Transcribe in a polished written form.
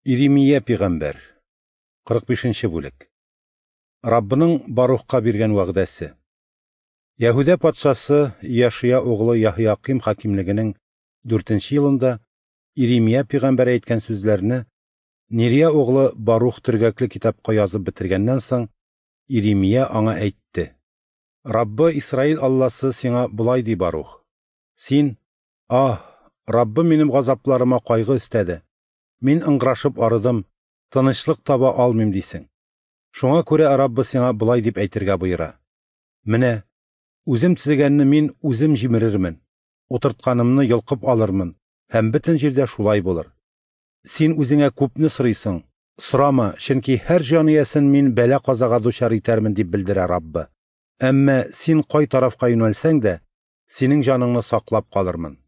Иремия пигамбәр, 45 нче бүлек. Раббының Барухка биргән вәгъдәсе. Яһүдә патшасы Яшия углы Яһоякыйм хакимлегенең дүртенче елында Иремия пигамбәр әйткән сүзләрне Нирия углы Барух төргәкле китапка язып бетергәннән соң, Иремия аңа әйтте: Раббы Исраил Алласы сиңа болай ди, Барух: Син, аһ, Раббы минем газапларыма кайгы өстәде, мин ыңгырашып арыдым, тынычлык таба алмыйм, дисең. Шуңа күрә Раббы сиңа болай дип әйтергә боера: Менә, үзем төзегәнне мин үзем җимерермен, утыртканымны йолкып алырмын, һәм бөтен җирдә шулай булыр. Син үзеңә күпне сорыйсың, сорама, чөнки һәр җан иясен мин бәла-казага дучар итәрмен, дип белдерә Раббы. Әмма син кай тарафка юнәлсәң дә, синең җаныңны саклап калырмын.